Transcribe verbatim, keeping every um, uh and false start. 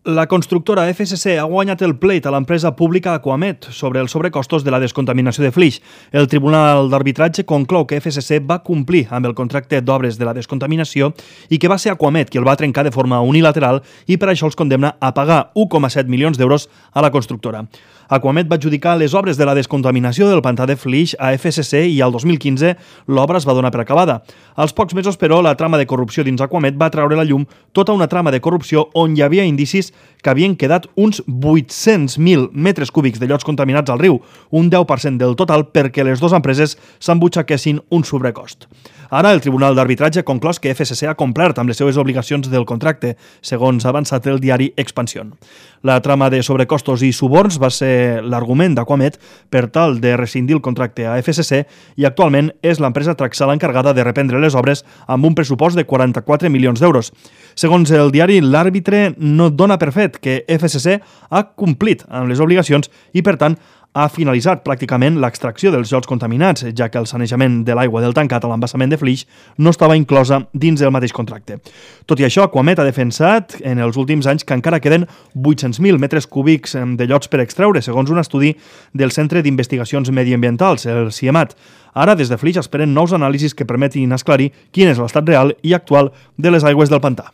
La constructora F S C ha guanyat el pleit a l'empresa pública Aquamet sobre els sobrecostos de la descontaminació de Flix. El Tribunal d'Arbitratge conclou que F S C va complir amb el contracte d'obres de la descontaminació i que va ser Aquamet qui el va trencar de forma unilateral i per això els condemna a pagar u coma set milions d'euros a la constructora. Aquamet va adjudicar les obres de la descontaminació del pantà de Flix a F S C i al dos mil quinze l'obra es va donar per acabada. Als pocs mesos, però, la trama de corrupció dins Aquamet va treure a la llum tota una trama de corrupció on hi havia indicis que havien quedat uns vuit-cents mil metres cúbics de llots contaminats al riu, un deu per cent del total perquè les dues empreses s'embutxaquessin un sobrecost. Ara, el Tribunal d'Arbitratge ha conclòs que F S C ha complert amb les seves obligacions del contracte, segons ha avançat el diari Expansión. La trama de sobrecostos i suborns va ser l'argument d'Aquamet per tal de rescindir el contracte a F S C i actualment és l'empresa Traxal encarregada de reprendre les obres amb un pressupost de quaranta-quatre milions d'euros. Segons el diari, l'àrbitre no dona per fet que F S C ha complit amb les obligacions i, per tant, ha finalitzat pràcticament l'extracció dels llots contaminats, ja que el sanejament de l'aigua del tancat a l'embassament de Flix no estava inclosa dins del mateix contracte. Tot i això, Aquamet ha defensat en els últims anys que encara queden vuit-cents mil metres cúbics de llots per extreure, segons un estudi del Centre d'Investigacions Mediambientals, el CIEMAT. Ara, des de Flix, esperen nous anàlisis que permetin esclarir quin és l'estat real i actual de les aigües del pantà.